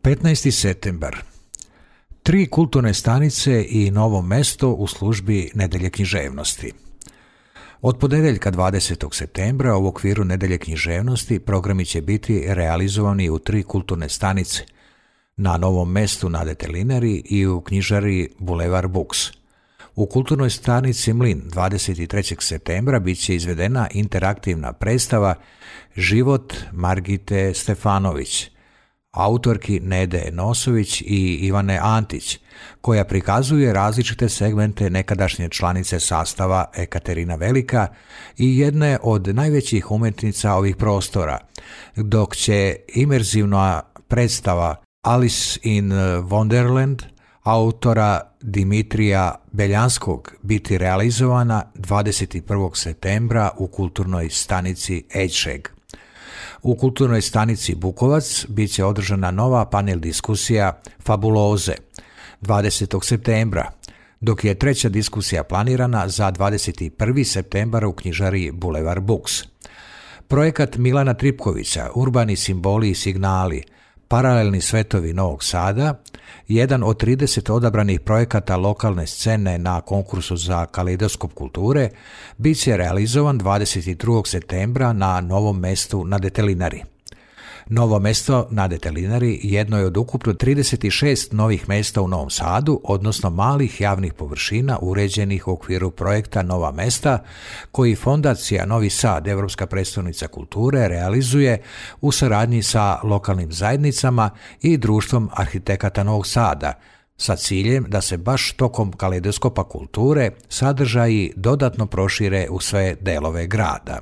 15. septembar. 3 kulturne stanice i Novo mesto u službi Nedelje književnosti. Od ponedeljka 20. septembra u okviru Nedelje književnosti programi će biti realizovani u 3 kulturne stanice, na Novom mestu na Detelinari i u knjižari Boulevard Books. U kulturnoj stanici Mlin 23. septembra bit će izvedena interaktivna predstava Život Margite Stefanović, autorki Nede Nosović i Ivane Antić, koja prikazuje različite segmente nekadašnje članice sastava Ekaterina Velika i jedne od najvećih umjetnica ovih prostora, dok će imerzivna predstava Alice in Wonderland autora Dimitrija Beljanskog biti realizovana 21. septembra u kulturnoj stanici Ejčeg. U kulturnoj stanici Bukovac bit će održana nova panel diskusija Fabuloze 20. septembra, dok je treća diskusija planirana za 21. septembar u knjižari Boulevard Books. Projekat Milana Tripkovića, Urbani simboli i signali, paralelni svetovi Novog Sada, jedan od 30 odabranih projekata lokalne scene na konkursu za kaleidoskop kulture, bit će realizovan 22. septembra na Novom mestu na Detelinari. Novo mesto na Detelinari jedno je od ukupno 36 novih mesta u Novom Sadu, odnosno malih javnih površina uređenih u okviru projekta Nova mesta, koji Fondacija Novi Sad, Europska prestolnica kulture, realizuje u saradnji sa lokalnim zajednicama i Društvom arhitekata Novog Sada, sa ciljem da se baš tokom kaleidoskopa kulture sadržaji dodatno prošire u sve delove grada.